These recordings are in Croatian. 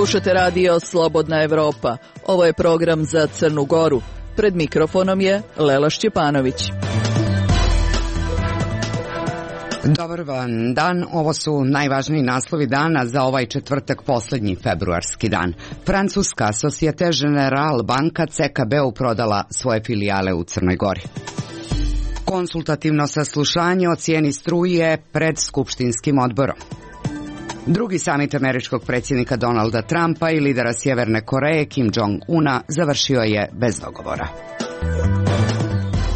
Slušate radio Slobodna Evropa. Ovo je program za Crnu Goru. Pred mikrofonom je Lela Šćepanović. Dobar vam dan, ovo su najvažniji naslovi dana za ovaj četvrtak, posljednji februarski dan. Francuska Societe Generale banka CKB-u prodala svoje filijale u Crnoj Gori. Konsultativno saslušanje o cijeni struje pred skupštinskim odborom. Drugi samit američkog predsjednika Donalda Trumpa i lidera Sjeverne Koreje Kim Jong-una završio je bez dogovora.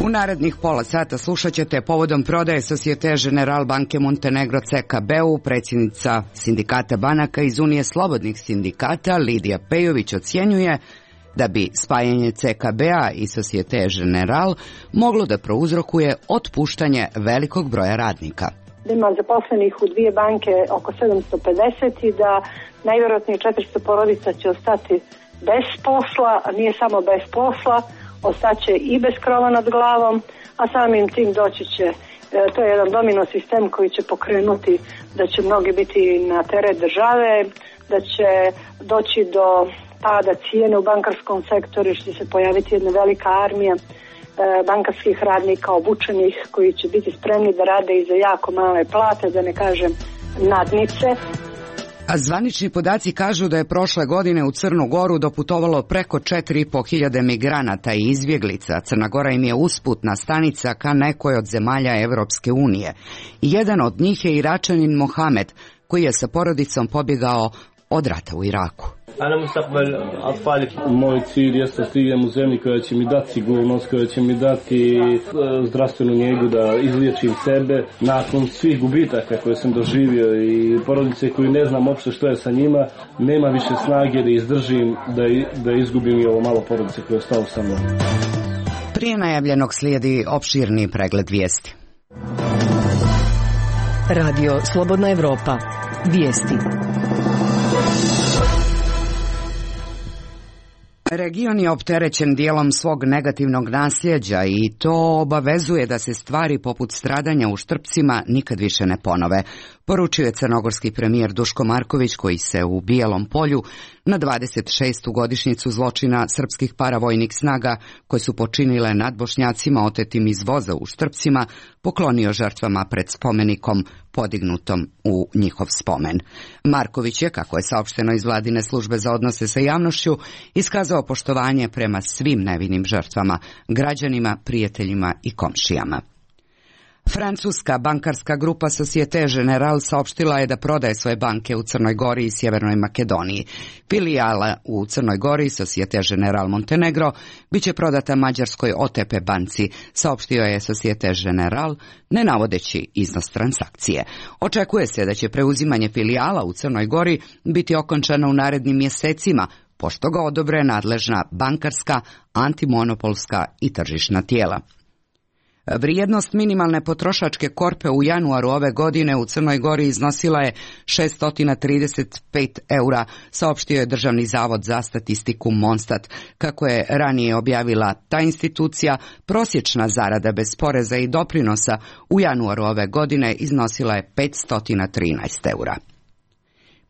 U narednih pola sata slušat ćete povodom prodaje Societe Generale banke Montenegro CKB-u predsjednica sindikata banaka iz Unije slobodnih sindikata Lidija Pejović ocjenjuje da bi spajanje CKB-a i Societe Generale moglo da prouzrokuje otpuštanje velikog broja radnika. Ima zaposlenih u dvije banke oko 750 i da najvjerojatnije 400 porodica će ostati bez posla, a nije samo bez posla, ostaće i bez krova nad glavom, a samim tim doći će, to je jedan domino sistem koji će pokrenuti da će mnogi biti na teret države, da će doći do pada cijene u bankarskom sektoru, što će se pojaviti jedna velika armija bankarskih radnika obučenih koji će biti spremni da rade i za jako male plate, da ne kažem nadnice. A zvanični podaci kažu da je prošle godine u Crnu Goru doputovalo preko 4.500 migranata i izbjeglica. Crna Gora im je usputna stanica ka nekoj od zemalja Evropske unije. Jedan od njih je Iračanin Mohamed, koji je sa porodicom pobjegao od rata u Iraku. Moj cilj je da stignem u zemlji koja će mi dati sigurnost, koja će mi dati zdravstvenu njegu, da izliječim sebe nakon svih gubitaka koje sam doživio i porodice koju ne znam uopšte što je sa njima. Nema više snage da izdržim, da izgubim i ovo malo porodice koje je ostalo sa mnom. Prije najavljenog slijedi opširni pregled vijesti. Radio Slobodna Evropa. Vijesti. Region je opterećen dijelom svog negativnog nasljeđa i to obavezuje da se stvari poput stradanja u Štrpcima nikad više ne ponove, poručio je crnogorski premijer Duško Marković, koji se u Bijelom Polju na 26. godišnjicu zločina srpskih paravojnih snaga koje su počinile nad Bošnjacima otetim iz voza u Štrpcima poklonio žrtvama pred spomenikom podignutom u njihov spomen. Marković je, kako je saopšteno iz vladine službe za odnose sa javnošću, iskazao poštovanje prema svim nevinim žrtvama, građanima, prijateljima i komšijama. Francuska bankarska grupa Societe Generale saopštila je da prodaje svoje banke u Crnoj Gori i Sjevernoj Makedoniji. Filijala u Crnoj Gori, Societe Generale Montenegro, bit će prodata mađarskoj OTP banci, saopštio je Societe Generale, ne navodeći iznos transakcije. Očekuje se da će preuzimanje filijala u Crnoj Gori biti okončano u narednim mjesecima, pošto ga odobre nadležna bankarska, antimonopolska i tržišna tijela. Vrijednost minimalne potrošačke korpe u januaru ove godine u Crnoj Gori iznosila je 635 eura, saopštio je Državni zavod za statistiku Monstat. Kako je ranije objavila ta institucija, prosječna zarada bez poreza i doprinosa u januaru ove godine iznosila je 513 eura.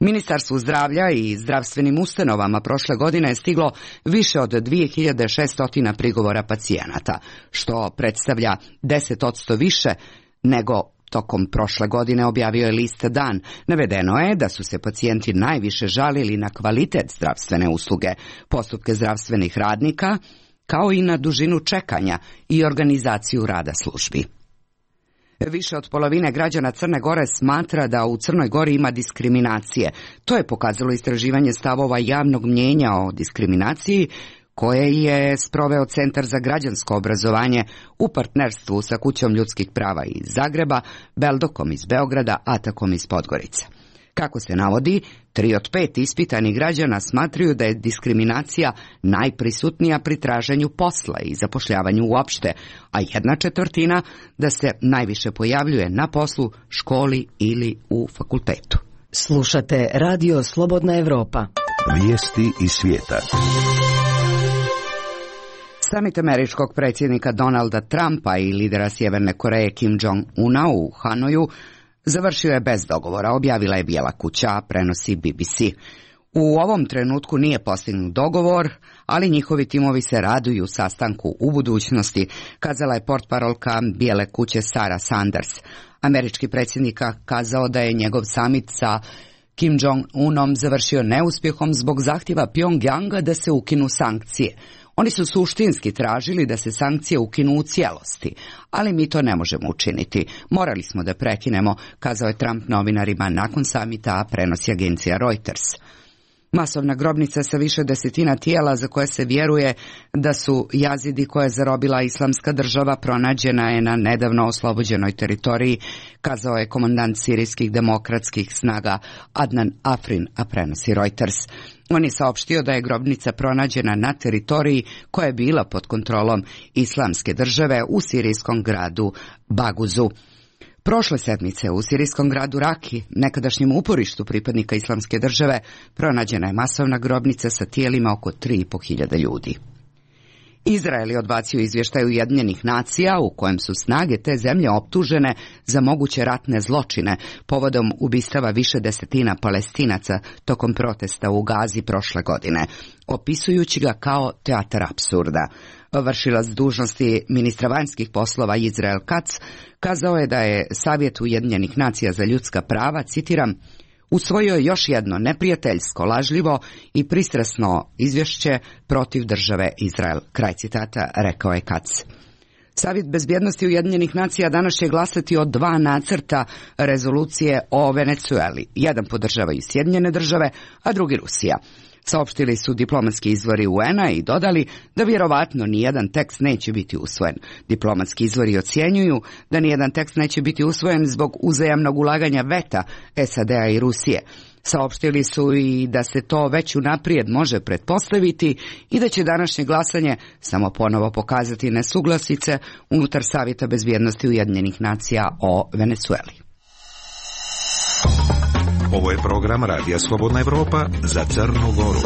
Ministarstvu zdravlja i zdravstvenim ustanovama prošle godine je stiglo više od 2600 prigovora pacijenata, što predstavlja 10% više nego tokom prošle godine, objavio je list Dan. Navedeno je da su se pacijenti najviše žalili na kvalitet zdravstvene usluge, postupke zdravstvenih radnika, kao i na dužinu čekanja i organizaciju rada službi. Više od polovine građana Crne Gore smatra da u Crnoj Gori ima diskriminacije. To je pokazalo istraživanje stavova javnog mnijenja o diskriminaciji koje je sproveo Centar za građansko obrazovanje u partnerstvu sa Kućom ljudskih prava iz Zagreba, Beldokom iz Beograda, Atakom iz Podgorice. Kako se navodi, 3 od 5 ispitanih građana smatraju da je diskriminacija najprisutnija pri traženju posla i zapošljavanju uopšte, a 1/4 da se najviše pojavljuje na poslu, školi ili u fakultetu. Slušate Radio Slobodna Evropa. Vijesti iz svijeta. Samit američkog predsjednika Donalda Trumpa i lidera Sjeverne Koreje Kim Jong-una u Hanoju završio je bez dogovora, objavila je Bijela kuća, prenosi BBC. U ovom trenutku nije postignut dogovor, ali njihovi timovi se raduju sastanku u budućnosti, kazala je portparolka Bijele kuće Sarah Sanders. Američki predsjednik kazao da je njegov samit sa Kim Jong-unom završio neuspjehom zbog zahtjeva Pjongjanga da se ukinu sankcije. Oni su suštinski tražili da se sankcije ukinu u cijelosti, ali mi to ne možemo učiniti. Morali smo da prekinemo, kazao je Trump novinarima nakon samita, a prenosi agencija Reuters. Masovna grobnica sa više desetina tijela za koje se vjeruje da su jazidi koje je zarobila Islamska država pronađena je na nedavno oslobođenoj teritoriji, kazao je komandant sirijskih demokratskih snaga Adnan Afrin, a prenosi Reuters. On je saopštio da je grobnica pronađena na teritoriji koja je bila pod kontrolom Islamske države u sirijskom gradu Baguzu. Prošle sedmice u sirijskom gradu Raki, nekadašnjem uporištu pripadnika Islamske države, pronađena je masovna grobnica sa tijelima oko 3.500 ljudi. Izrael je odbacio izvještaj Ujedinjenih nacija u kojem su snage te zemlje optužene za moguće ratne zločine povodom ubistava više desetina Palestinaca tokom protesta u Gazi prošle godine, opisujući ga kao teatar apsurda. Vršilac dužnosti ministra vanjskih poslova Izrael Katz kazao je da je Savjet Ujedinjenih nacija za ljudska prava, citiram, usvojio je još jedno neprijateljsko, lažljivo i pristrasno izvješće protiv države Izrael. Kraj citata, rekao je Katz. Savjet bezbjednosti Ujedinjenih nacija danas će glasati o 2 nacrta rezolucije o Venezueli. Jedan podržavaju Sjedinjene države, a drugi Rusija. Saopštili su diplomatski izvori UN-a i dodali da vjerovatno nijedan tekst neće biti usvojen. Diplomatski izvori ocjenjuju da nijedan tekst neće biti usvojen zbog uzajamnog ulaganja veta SAD-a i Rusije. Saopštili su i da se to već unaprijed može pretpostaviti i da će današnje glasanje samo ponovo pokazati nesuglasice unutar Savjeta bezbjednosti Ujedinjenih nacija o Venezueli. Ovo je program Radija Slobodna Evropa za Crnu Goru.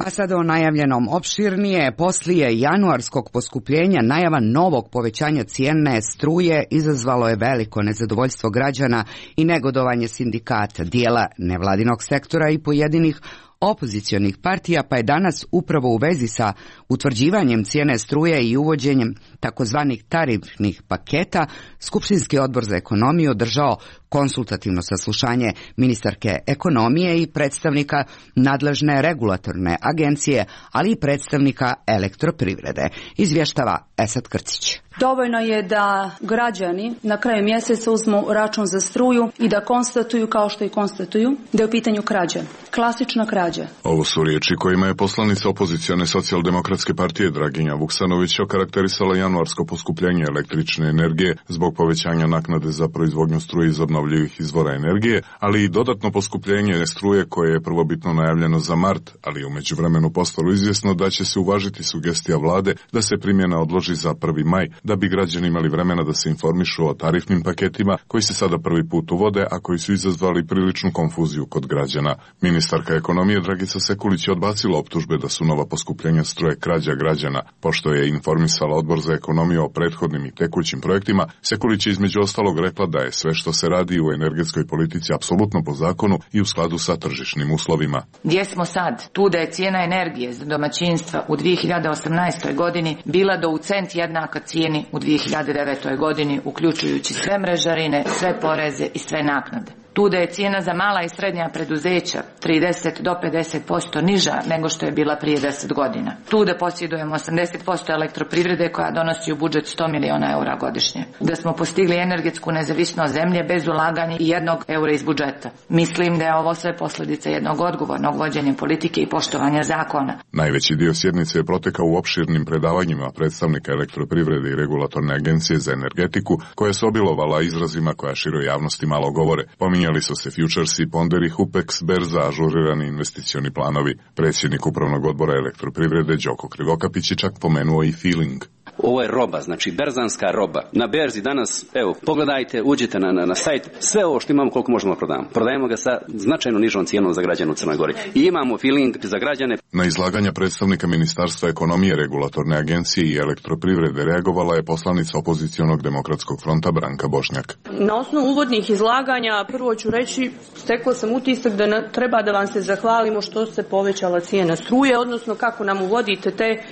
A sada o najavljenom opširnije. Poslije januarskog poskupljenja najava novog povećanja cijene struje izazvalo je veliko nezadovoljstvo građana i negodovanje sindikata, dijela nevladinog sektora i pojedinih opozicionih partija, pa je danas upravo u vezi sa utvrđivanjem cijene struje i uvođenjem takozvanih tarifnih paketa Skupštinski odbor za ekonomiju održao konsultativno saslušanje ministarke ekonomije i predstavnika nadležne regulatorne agencije, ali i predstavnika elektroprivrede. Izvještava Esad Krcić. Dovoljno je da građani na kraju mjeseca uzmu račun za struju i da konstatuju, kao što i konstatuju, da je u pitanju krađa. Klasična krađa. Ovo su riječi kojima je poslanica opozicione socijaldemokratske partije Draginja Vuksanović okarakterisala januarsko poskupljenje električne energije zbog povećanja naknade za proizvodnju struje iz obnovljivih izvora energije, ali i dodatno poskupljenje struje koje je prvobitno najavljeno za mart, ali u međuvremenu postalo izvjesno da će se uvažiti sugestija vlade da se primjena odloži za 1. maj, da bi građani imali vremena da se informišu o tarifnim paketima koji se sada prvi put uvode, a koji su izazvali priličnu konfuziju kod građana. Ministarka ekonomije Dragica Sekulić je odbacila optužbe da su nova poskupljenja struje krađa građana. Pošto je informisala Odbor za ekonomiju o prethodnim i tekućim projektima, Sekulić je između ostalog rekla da je sve što se radi u energetskoj politici apsolutno po zakonu i u skladu sa tržišnim uslovima. Gdje smo sad? Tu da je cijena energije za domaćinstva u 2018. godini bila do u cent jednaka cijeni u 2009. godini, uključujući sve mrežarine, sve poreze i sve naknade. Tu da je cijena za mala i srednja preduzeća 30 do 50% niža nego što je bila prije 10 godina. Tu da posjedujemo 80% elektroprivrede koja donosi u budžet 100 miliona eura godišnje. Da smo postigli energetsku nezavisnost zemlje bez ulaganja i 1 eura iz budžeta. Mislim da je ovo sve posljedica jednog odgovornog vođenja politike i poštovanja zakona. Najveći dio sjednice je protekao u opširnim predavanjima predstavnika elektroprivrede i regulatorne agencije za energetiku, koja se obilovala izrazima koja široj javnosti malo govore. Pominjali su se futuresi, ponderi, Hupex, berza, ažurirani investicioni planovi. Predsjednik upravnog odbora elektroprivrede Đoko Krivokapić je čak pomenuo i feeling. Ovo je roba, znači berzanska roba. Na berzi danas, evo, pogledajte, uđite na sajt, sve ovo što imamo koliko možemo prodavamo. Prodajemo ga sa značajno nižom cijenom za građane u Crnoj Gori. I imamo feeling za građane. Na izlaganja predstavnika Ministarstva ekonomije, regulatorne agencije i elektroprivrede reagovala je poslanica opozicionog demokratskog fronta Branka Bošnjak. Na osnovu uvodnih izlaganja prvo ću reći, stekla sam utisak da treba da vam se zahvalimo što se povećala cijena struje, odnosno kako nam uvodite te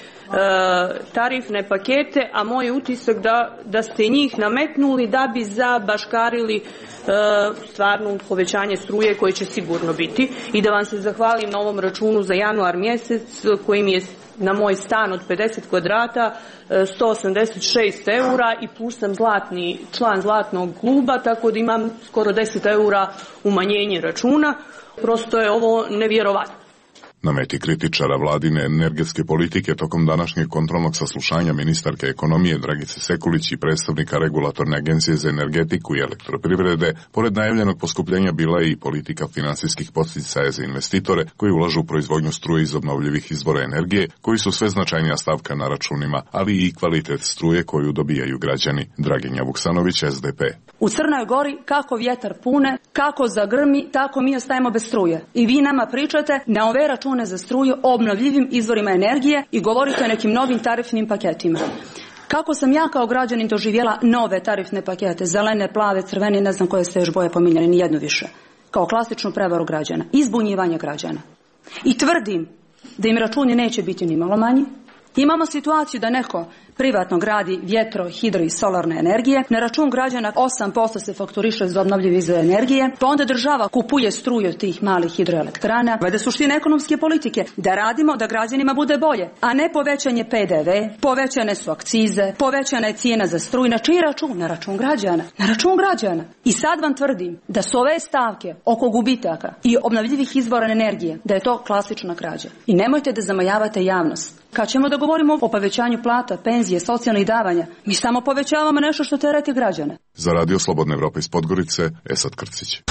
tarifne pakete, a moj je utisak da ste njih nametnuli da bi zabaškarili stvarno povećanje struje koje će sigurno biti, i da vam se zahvalim na ovom računu za januar mjesec koji mi je na moj stan od 50 kvadrata 186 eura i plus sam član zlatnog kluba, tako da imam skoro 10 eura umanjenje računa. Prosto je ovo nevjerovatno. Na meti kritičara vladine energetske politike tokom današnjeg kontrolnog saslušanja ministarke ekonomije Dragice Sekulić i predstavnika regulatorne agencije za energetiku i elektroprivrede, pored najavljenog poskupljenja bila je i politika finansijskih podsticaja za investitore koji ulažu u proizvodnju struje iz obnovljivih izvora energije, koji su sve značajnija stavka na računima, ali i kvalitet struje koju dobijaju građani. Draginja Vuksanović, SDP. U Crnoj Gori kako vjetar pune, kako zagrmi, tako mi ostajemo bez struje. I vi nama pričate na ove račune za struju o obnovljivim izvorima energije i govorite o nekim novim tarifnim paketima. Kako sam ja kao građanin doživjela nove tarifne pakete, zelene, plave, crvene, ne znam koje ste još boje pominjali, ni jednu više, kao klasičnu prevaru građana, izbunjivanje građana. I tvrdim da im računi neće biti ni malo manji. Imamo situaciju da neko privatno gradi vjetro, hidro i solarne energije, na račun građana 8% se fakturiše za obnovljive izvore energije, pa onda država kupuje struju od tih malih hidroelektrana. Valjda suština ekonomske politike da radimo da građanima bude bolje, a ne povećanje PDV, povećane su akcize, povećana je cijena za struju. Na čiji račun? Na račun građana. Na račun građana. I sad vam tvrdim da su ove stavke oko gubitaka i obnovljivih izvora energije, da je to klasična krađa. I nemojte da zamajavate javnost. Kad ćemo da govorimo o povećanju plata, penzije, socijalnih davanja, mi samo povećavamo nešto što tereti građane. Za Radio Slobodne Evrope iz Podgorice, Esad Krcić.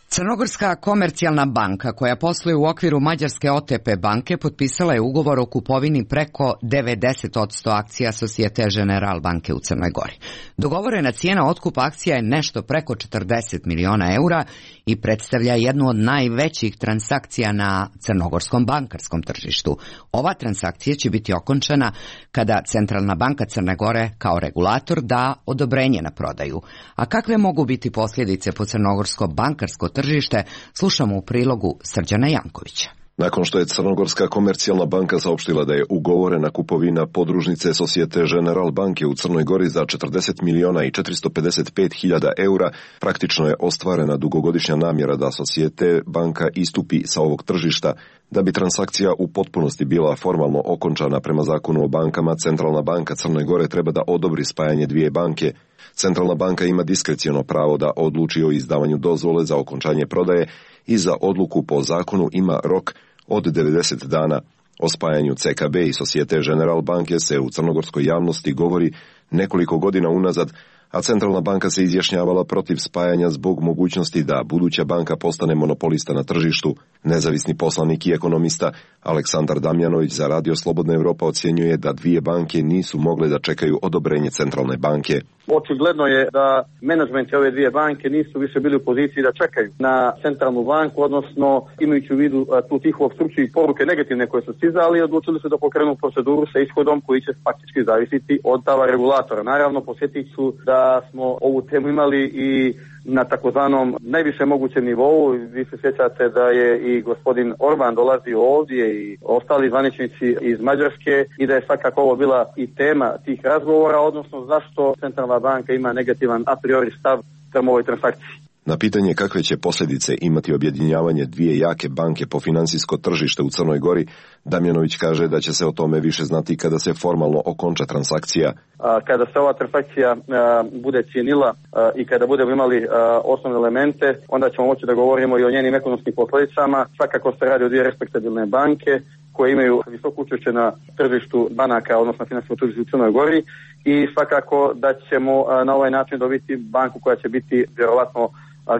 Crnogorska komercijalna banka koja posluje u okviru mađarske OTP banke potpisala je ugovor o kupovini preko 90% akcija Societe Generale banke u Crnoj Gori. Dogovorena cijena otkupa akcija je nešto preko 40 miliona eura i predstavlja jednu od najvećih transakcija na crnogorskom bankarskom tržištu. Ova transakcija će biti okončana kada Centralna banka Crne Gore kao regulator da odobrenje na prodaju. A kakve mogu biti posljedice po crnogorsko bankarsko tržište, slušamo u prilogu Srđana Jankovića. Nakon što je Crnogorska komercijalna banka saopštila da je ugovorena kupovina podružnice Societe Generale banke u Crnoj Gori za 40 miliona i 455 hiljada eura, praktično je ostvarena dugogodišnja namjera da Societe banka istupi sa ovog tržišta. Da bi transakcija u potpunosti bila formalno okončana prema zakonu o bankama, Centralna banka Crne Gore treba da odobri spajanje dvije banke. Centralna banka ima diskreciono pravo da odluči o izdavanju dozvole za okončanje prodaje i za odluku po zakonu ima rok od 90 dana. O spajanju CKB i Societe Generale banke se u crnogorskoj javnosti govori nekoliko godina unazad, a Centralna banka se izjašnjavala protiv spajanja zbog mogućnosti da buduća banka postane monopolista na tržištu. Nezavisni poslanik i ekonomista Aleksandar Damjanović za Radio Slobodna Evropa ocjenjuje da dvije banke nisu mogle da čekaju odobrenje Centralne banke. Očigledno je da menadžmenti ove dvije banke nisu više bili u poziciji da čekaju na Centralnu banku, odnosno imajući u vidu tu tihu opstrukciju i poruke negativne koje su stizali, odlučili su da pokrenu proceduru sa ishodom koji će faktički zavisiti od stava regulatora. Naravno, posjetit ću da smo ovu temu imali i na takozvanom najviše mogućem nivou. Vi se sjećate da je i gospodin Orban dolazio ovdje i ostali zvaničnici iz Mađarske i da je svakako ovo bila i tema tih razgovora, odnosno zašto Centralna banka ima negativan a priori stav prema ovoj transakciji. Na pitanje kakve će posljedice imati objedinjavanje dvije jake banke po financijsko tržište u Crnoj Gori, Damjanović kaže da će se o tome više znati kada se formalno okonča transakcija. Kada se ova transakcija bude cijenila i kada budemo imali osnovne elemente, onda ćemo moći da govorimo i o njenim ekonomskim posljedicama. Svakako se radi o dvije respektabilne banke koje imaju visoko učešće na tržištu banaka, odnosno financijskom tržištu u Crnoj Gori, i svakako da ćemo na ovaj način dobiti banku koja će biti vjerovatno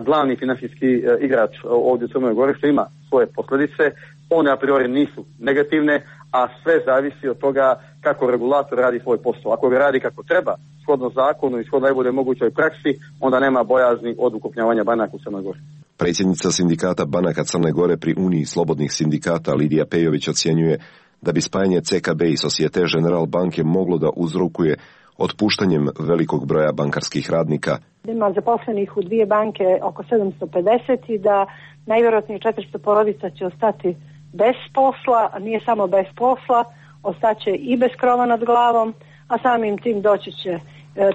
glavni financijski igrač ovdje u Crnoj Gori, što ima svoje posljedice. One a priori nisu negativne, a sve zavisi od toga kako regulator radi svoj posao. Ako ga radi kako treba, shodno zakonu i shodno najbolje mogućoj praksi, onda nema bojazni od ukrupnjavanja banaka u Crnoj Gori. Predsjednica sindikata banaka Crne Gore pri Uniji slobodnih sindikata Lidija Pejović ocjenjuje da bi spajanje CKB i Societe General banke moglo da uzrokuje otpuštanjem velikog broja bankarskih radnika. Ima zaposlenih u dvije banke oko 750 i da najvjerojatnije 400 porodica će ostati bez posla, a nije samo bez posla, ostaće i bez krova nad glavom, a samim tim doći će,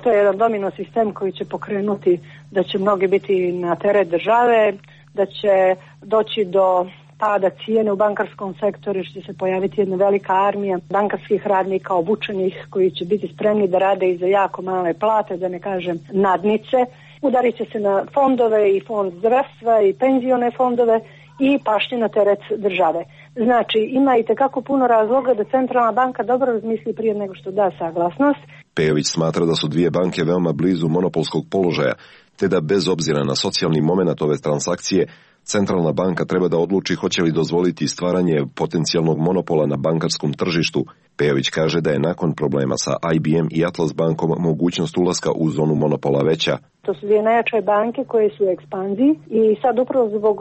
to je jedan domino sistem koji će pokrenuti da će mnogi biti na teret države, da će doći do pada cijene u bankarskom sektoru, što će se pojaviti jedna velika armija bankarskih radnika obučenih koji će biti spremni da rade i za jako male plate, da ne kažem nadnice. Udarit će se na fondove i fond zdravstva i penzione fondove i pašće na teret države. Znači, ima i tekako puno razloga da centralna banka dobro razmisli prije nego što da saglasnost. Pejović smatra da su dvije banke veoma blizu monopolskog položaja, te da bez obzira na socijalni moment ove transakcije, centralna banka treba da odluči hoće li dozvoliti stvaranje potencijalnog monopola na bankarskom tržištu. Pejović kaže da je nakon problema sa IBM i Atlas bankom mogućnost ulaska u zonu monopola veća. To su dvije najjače banke koje su u ekspanziji i sad upravo zbog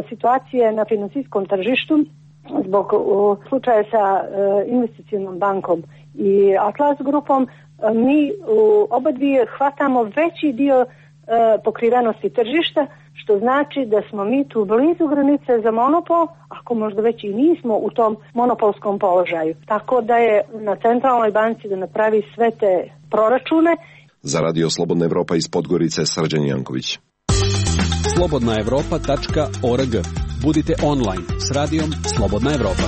situacije na financijskom tržištu, zbog slučaja sa investicionom bankom i Atlas grupom, mi oba dvije hvatamo veći dio pokrivenosti tržišta, što znači da smo mi tu blizu granice za monopol, ako možda već i nismo u tom monopolskom položaju. Tako da je na centralnoj banci da napravi sve te proračune. Za Radio Slobodna Evropa iz Podgorice, Srđan Janković. slobodnaevropa.org. Budite online s radijom Slobodna Evropa.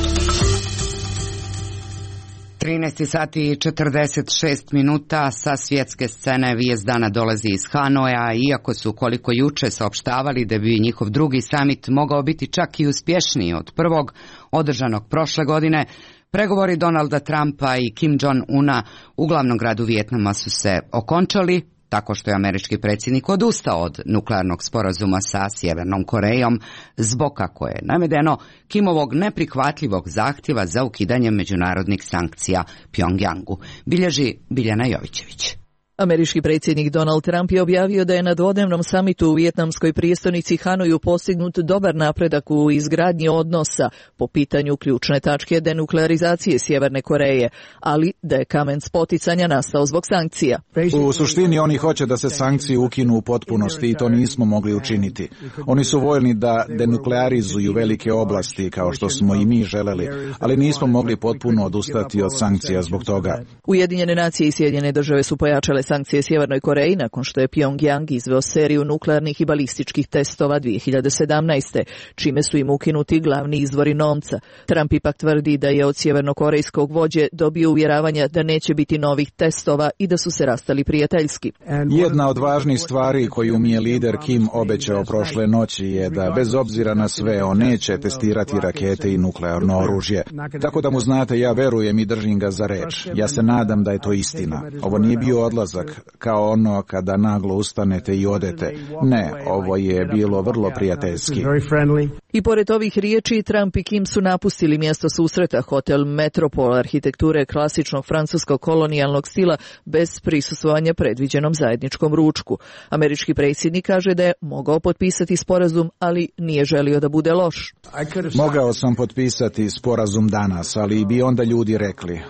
13 sati i 46 minuta sa svjetske scene vijest dana dolazi iz Hanoja, iako su koliko juče saopštavali da bi njihov drugi samit mogao biti čak i uspješniji od prvog, održanog prošle godine, pregovori Donalda Trumpa i Kim Jong-una u glavnom gradu Vijetnama su se okončali, tako što je američki predsjednik odustao od nuklearnog sporazuma sa Sjevernom Korejom zbog, kako je navedeno, Kimovog neprihvatljivog zahtjeva za ukidanje međunarodnih sankcija Pjongjangu, bilježi Biljana Jovićević. Američki predsjednik Donald Trump je objavio da je na dvodnevnom samitu u vijetnamskoj prijestolnici Hanoju postignut dobar napredak u izgradnji odnosa po pitanju ključne tačke denuklearizacije Sjeverne Koreje, ali da je kamen spoticanja nastao zbog sankcija. U suštini oni hoće da se sankcije ukinu u potpunosti i to nismo mogli učiniti. Oni su voljni da denuklearizuju velike oblasti kao što smo i mi želeli, ali nismo mogli potpuno odustati od sankcija zbog toga. Ujedinjene nacije i Sjedinjene države su pojačale sankcije Sjevernoj Koreji nakon što je Pjongjang izveo seriju nuklearnih i balističkih testova 2017. čime su im ukinuti glavni izvori novca. Trump ipak tvrdi da je od sjevernokorejskog vođe dobio uvjeravanja da neće biti novih testova i da su se rastali prijateljski. Jedna od važnih stvari koju mi je lider Kim obećao prošle noći je da bez obzira na sve on neće testirati rakete i nuklearno oružje. Tako da mu znate, ja verujem i držim ga za reč. Ja se nadam da je to istina. Ovo nije bio odlazak kao ono kada naglo ustanete i odete. Ne, ovo je bilo vrlo prijateljski. I pored ovih riječi, Trump i Kim su napustili mjesto susreta, hotel Metropol arhitekture klasičnog francuskog kolonijalnog stila bez prisustvovanja predviđenom zajedničkom ručku. Američki predsjednik kaže da je mogao potpisati sporazum, ali nije želio da bude loš. Mogao sam potpisati sporazum danas, ali bi onda ljudi rekli,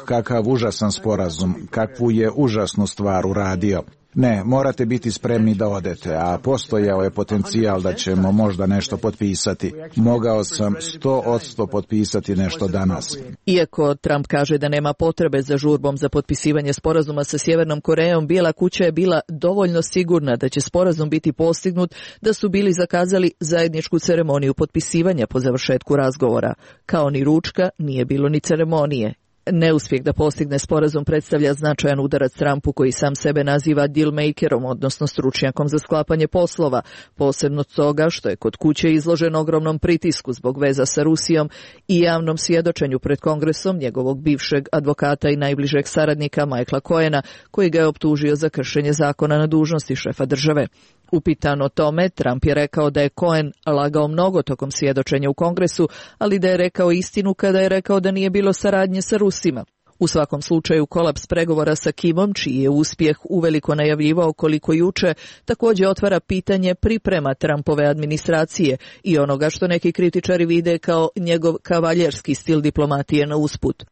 kakav užasan sporazum, kakvu je užasnu stvar uradio. Ne, morate biti spremni da odete, a postojao je potencijal da ćemo možda nešto potpisati. Mogao sam 100% potpisati nešto danas. Iako Trump kaže da nema potrebe za žurbom za potpisivanje sporazuma sa Sjevernom Korejom, Bijela kuća je bila dovoljno sigurna da će sporazum biti postignut, da su bili zakazali zajedničku ceremoniju potpisivanja po završetku razgovora. Kao ni ručka, nije bilo ni ceremonije. Neuspjeh da postigne sporazum predstavlja značajan udarac Trumpu, koji sam sebe naziva dealmakerom, odnosno stručnjakom za sklapanje poslova, posebno toga što je kod kuće izložen ogromnom pritisku zbog veza sa Rusijom i javnom svjedočenju pred Kongresom njegovog bivšeg advokata i najbližeg saradnika Michaela Cohena, koji ga je optužio za kršenje zakona na dužnosti šefa države. Upitan o tome, Trump je rekao da je Cohen lagao mnogo tokom svjedočenja u Kongresu, ali da je rekao istinu kada je rekao da nije bilo saradnje sa Rusima. U svakom slučaju, kolaps pregovora sa Kimom, čiji je uspjeh uveliko najavljivao koliko juče, također otvara pitanje priprema Trumpove administracije i onoga što neki kritičari vide kao njegov kavaljerski stil diplomatije na usput.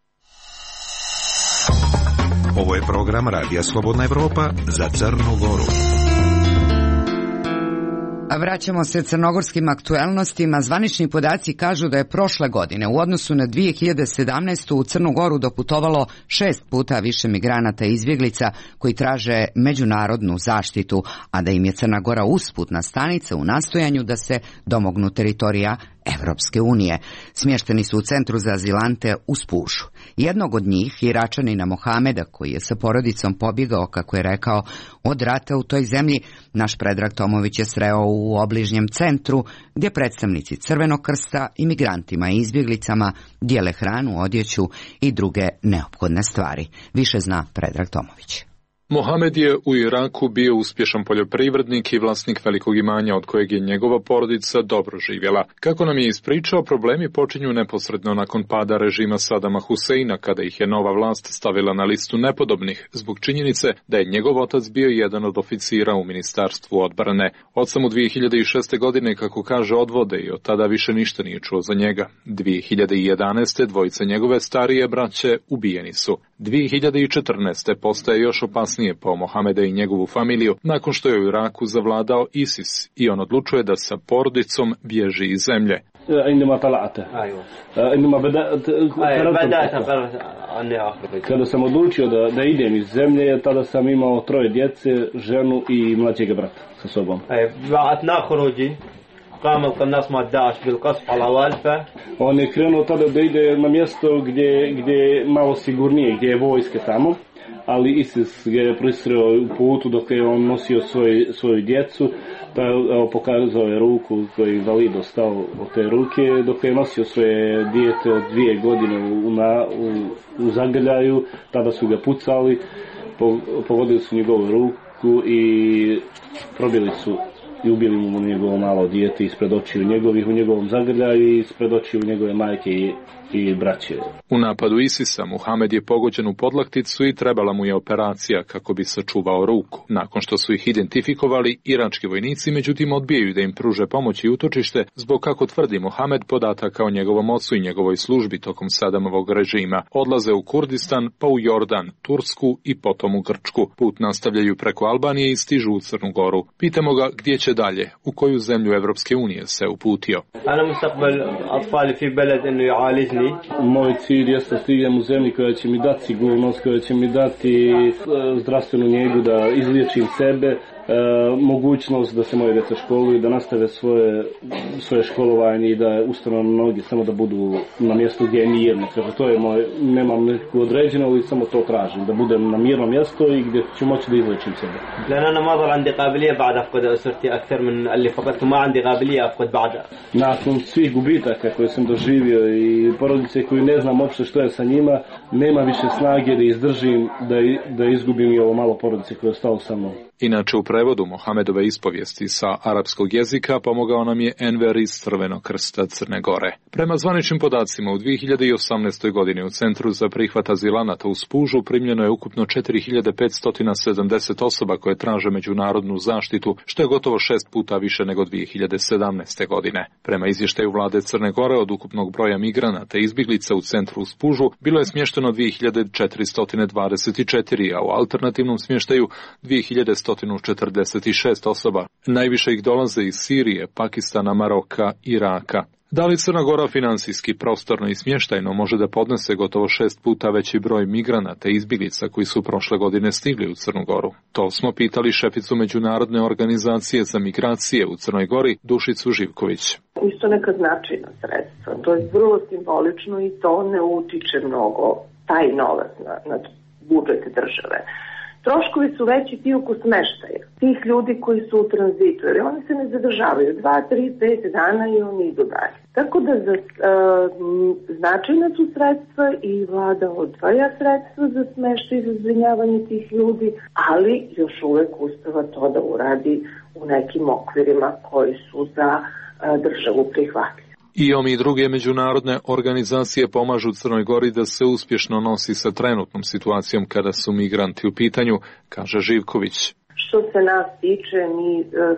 Ovo je program Radija Slobodna Evropa za Crnu Goru. A vraćamo se crnogorskim aktuelnostima. Zvanični podaci kažu da je prošle godine u odnosu na 2017. u Crnu Goru doputovalo 6 puta više migranata i izbjeglica koji traže međunarodnu zaštitu, a da im je Crna Gora usputna stanica u nastojanju da se domognu teritorija Evropske unije. Smješteni su u centru za azilante u Spužu. Jednog od njih, Iračanina Mohameda, koji je sa porodicom pobjegao, kako je rekao, od rata u toj zemlji, naš Predrag Tomović je sreo u obližnjem centru, gdje predstavnici Crvenog krsta imigrantima i izbjeglicama dijele hranu, odjeću i druge neophodne stvari. Više zna Predrag Tomović. Mohamed je u Iraku bio uspješan poljoprivrednik i vlasnik velikog imanja od kojeg je njegova porodica dobro živjela. Kako nam je ispričao, problemi počinju neposredno nakon pada režima Sadama Huseina, kada ih je nova vlast stavila na listu nepodobnih, zbog činjenice da je njegov otac bio jedan od oficira u Ministarstvu odbrane. Oca mu 2006. godine, kako kaže, odvode i od tada više ništa nije čuo za njega. 2011. dvojica njegove starije braće ubijeni su. 2014. postaje još opasnije po Mohameda i njegovu familiju nakon što je u Iraku zavladao ISIS i on odlučuje da sa porodicom bježi iz zemlje. Kada sam odlučio da idem iz zemlje, tada sam imao 3 djece, ženu i mlađeg brata sa sobom. On je krenuo tada da ide na mjesto gdje je malo sigurnije, gdje je vojske tamo, ali ISIS ga je prisreo u putu dok je on nosio svoju djecu, pa pokazao je ruku koji je invalid ostao od te ruke, dok je nosio svoje dijete od 2 godine u zagrljaju, tada su ga pucali, pogodili su njegovu ruku i probili su i ubili mu njegovo malo dijete ispred očiju njegovih u njegovom zagrljaju i ispred očiju njegove majke i braće. U napadu ISIS-a Mohamed je pogođen u podlakticu i trebala mu je operacija kako bi sačuvao ruku. Nakon što su ih identifikovali, irački vojnici međutim odbijaju da im pruže pomoć i utočište zbog, kako tvrdi Mohamed, podataka o njegovom ocu i njegovoj službi tokom Sadamovog režima. Odlaze u Kurdistan, pa u Jordan, Tursku i potom u Grčku. Put nastavljaju preko Albanije i stižu u Crnu Goru. Pitamo ga gdje će dalje, u koju zemlju Evropske unije se uputio. Moj cilj jeste da stignem u zemlji koja će mi dati sigurnost, koja će mi dati zdravstvenu njegu, da izliječim sebe, mogućnost da se moje djeca školuju, da nastave svoje školovanje i da ustanu na noge, samo da budu na mjestu gdje je mirno. Kaže, to je moj, nemam neku određeno, ali samo to tražim, da budem na mirno mjesto i gdje ću moći da izliječim sebe. Nakon svih gubitaka koje sam doživio i porodice koju ne znam uopšte što je sa njima, nema više snage da izdržim, da izgubim i ovo malo porodice koje je ostalo sa mnom. Inače, u prevodu Mohamedove ispovijesti sa arapskog jezika pomogao nam je Enver iz Crvenog krsta Crne Gore. Prema zvaničnim podacima, u 2018. godini u Centru za prihvat azilanata u Spužu primljeno je ukupno 4570 osoba koje traže međunarodnu zaštitu, što je gotovo 6 puta više nego 2017. godine. Prema izvještaju vlade Crne Gore, od ukupnog broja migranata i izbjeglica u Centru u Spužu bilo je smješteno 2424, a u alternativnom smještaju 2146 osoba. Najviše ih dolaze iz Sirije, Pakistana, Maroka, Iraka. Da li Crna Gora financijski, prostorno i smještajno može da podnese gotovo 6 puta veći broj migranata i izbjeglica koji su prošle godine stigli u Crnu Goru? To smo pitali šeficu Međunarodne organizacije za migracije u Crnoj Gori, Dušicu Živković. Isto neka značajna sredstva. To je vrlo simbolično i to ne utiče mnogo taj novac na budžet države. Troškovi su veći ti oko smeštaja, tih ljudi koji su u tranzitu, jer oni se ne zadržavaju 2, 3, 5 dana i oni idu dalje. Tako da značajna su sredstva i vlada odvaja sredstva za smeštaj i za zbrinjavanje tih ljudi, ali još uvek uspeva to da uradi u nekim okvirima koji su za državu prihvatljivi. IOM i druge međunarodne organizacije pomažu Crnoj Gori da se uspješno nosi sa trenutnom situacijom kada su migranti u pitanju, kaže Živković. Što se nas tiče, mi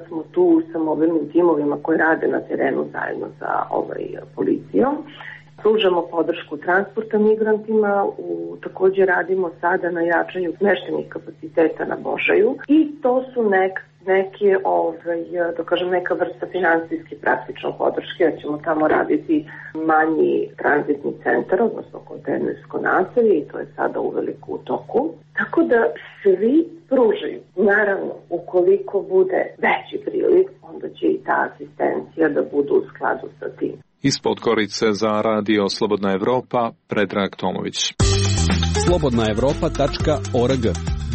smo tu sa mobilnim timovima koji rade na terenu zajedno sa policijom. Pružamo podršku transporta migrantima, također radimo sada na jačanju smještajnih kapaciteta na Božaju i to su neka vrsta finansijski praktično podrške, jer ćemo tamo raditi manji tranzitni centar, odnosno kontejnersko naselje i to je sada uveliko u toku. Tako da svi pružaju. Naravno, ukoliko bude veći priliv, onda će i ta asistencija da bude u skladu sa tim. Iz Podgorice za Radio Slobodna Evropa, Predrag Tomović. slobodnaevropa.org.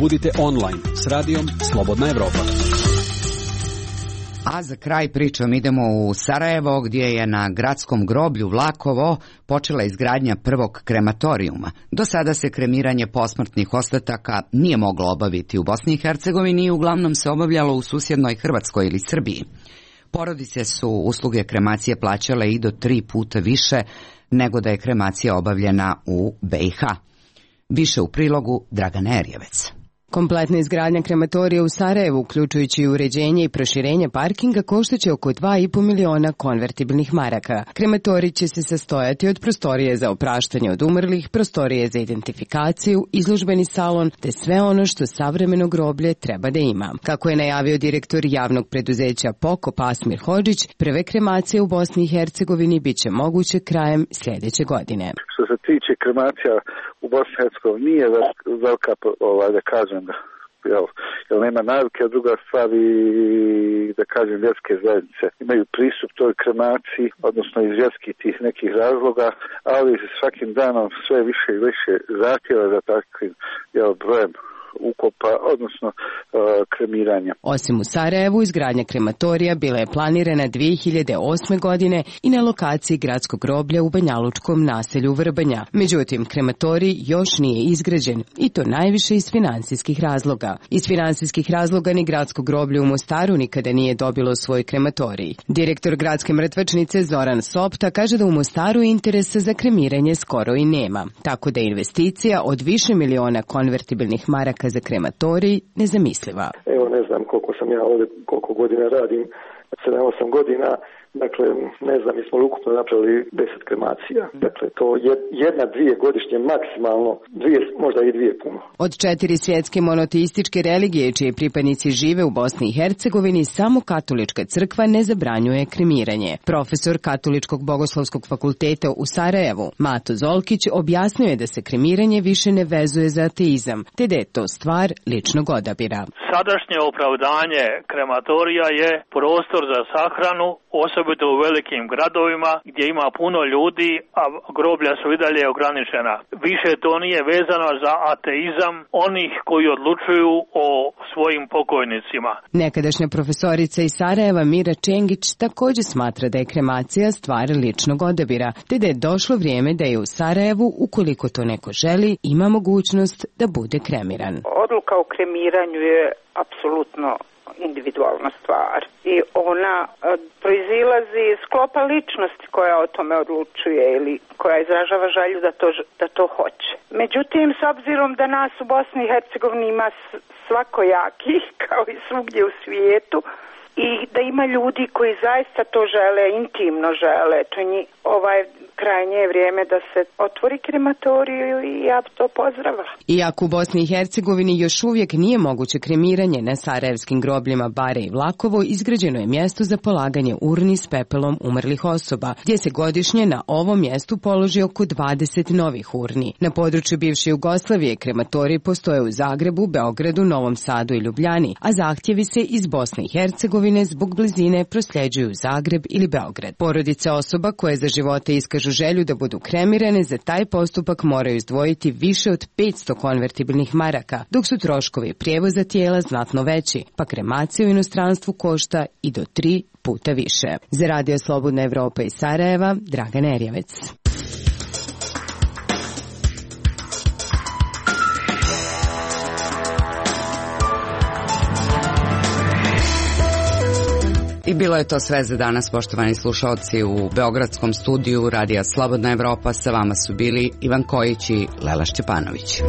Budite online s radijom Slobodna Evropa. A za kraj pričom idemo u Sarajevo, gdje je na gradskom groblju Vlakovo počela izgradnja prvog krematorijuma. Do sada se kremiranje posmrtnih ostataka nije moglo obaviti u Bosni i Hercegovini i uglavnom se obavljalo u susjednoj Hrvatskoj ili Srbiji. Porodice su usluge kremacije plaćale i do 3 puta više nego da je kremacija obavljena u BiH. Više u prilogu Dragana Erjevec. Kompletna izgradnja krematorija u Sarajevu, uključujući uređenje i proširenje parkinga, koštaće oko 2,5 miliona konvertibilnih maraka. Krematorij će se sastojati od prostorije za opraštanje od umrlih, prostorije za identifikaciju, izložbeni salon, te sve ono što savremeno groblje treba da ima. Kako je najavio direktor javnog preduzeća Pokop Asmir Hodžić, prve kremacije u Bosni i Hercegovini bit će moguće krajem sljedeće godine. Što se tiče kremacija u Bosni i Hercegovini nije velika, da kažem, jer nema navike, a druga stvar i, da kažem, vjerske zajednice imaju pristup toj kremaciji, odnosno iz vjerskih tih nekih razloga, ali svakim danom sve više i više zahtjeva za takvim brojem ukopa, odnosno kremiranja. Osim u Sarajevu, izgradnja krematorija bila je planirana 2008. godine i na lokaciji gradskog groblja u banjalučkom naselju Vrbanja. Međutim, krematorij još nije izgrađen i to najviše iz finansijskih razloga. Iz finansijskih razloga ni gradsko groblje u Mostaru nikada nije dobilo svoj krematorij. Direktor gradske mrtvačnice Zoran Sopta kaže da u Mostaru interesa za kremiranje skoro i nema, tako da je investicija od više miliona konvertibilnih maraka za krematorij nezamisliva. Evo, ne znam koliko godina radim, 7-8 godina, dakle, ne znam, mi smo ukupno napravili 10 kremacija. Dakle, to je 1-2 godišnje maksimalno, 2, možda i 2 puno. Od 4 svjetske monoteističke religije, čije pripadnici žive u Bosni i Hercegovini, samo katolička crkva ne zabranjuje kremiranje. Profesor Katoličkog bogoslovskog fakulteta u Sarajevu, Mato Zolkić, objasnio je da se kremiranje više ne vezuje za ateizam, te da je to stvar ličnog odabira. Sadašnje opravdanje krematorija je prostor za sahranu, osobito u velikim gradovima gdje ima puno ljudi, a groblja su i dalje ograničena. Više to nije vezano za ateizam onih koji odlučuju o svojim pokojnicima. Nekadašnja profesorica iz Sarajeva Mira Čengić također smatra da je kremacija stvar ličnog odabira, te da je došlo vrijeme da je u Sarajevu, ukoliko to neko želi, ima mogućnost da bude kremiran. Odluka o kremiranju je apsolutno individualna stvar i ona proizilazi iz sklopa ličnosti koja o tome odlučuje ili koja izražava želju da to hoće. Međutim, s obzirom da nas u Bosni i Hercegovini ima svakojakih, kao i svugdje u svijetu, i da ima ljudi koji zaista to žele, intimno žele, to krajnje je vrijeme da se otvori krematoriju i ja to pozdravila. Iako u Bosni i Hercegovini još uvijek nije moguće kremiranje, na sarajevskim grobljima Bare i Vlakovo izgrađeno je mjesto za polaganje urni s pepelom umrlih osoba, gdje se godišnje na ovom mjestu položi oko 20 novih urni. Na području bivše Jugoslavije krematoriji postoje u Zagrebu, Beogradu, Novom Sadu i Ljubljani, a zahtjevi se iz Bosne i Hercegovine imovine zbog blizine prosljeđuju u Zagreb ili Beograd. Porodice osoba koje za života iskažu želju da budu kremirane za taj postupak moraju izdvojiti više od 500 konvertibilnih maraka, dok su troškovi prijevoza tijela znatno veći, pa kremacija u inostranstvu košta i do 3 puta više. Za Radio Slobodna Evropa iz Sarajeva, Dragana Erjevec. I bilo je to sve za danas, poštovani slušalci. U beogradskom studiju Radija Slobodna Evropa sa vama su bili Ivan Kojić i Lela Šćepanović.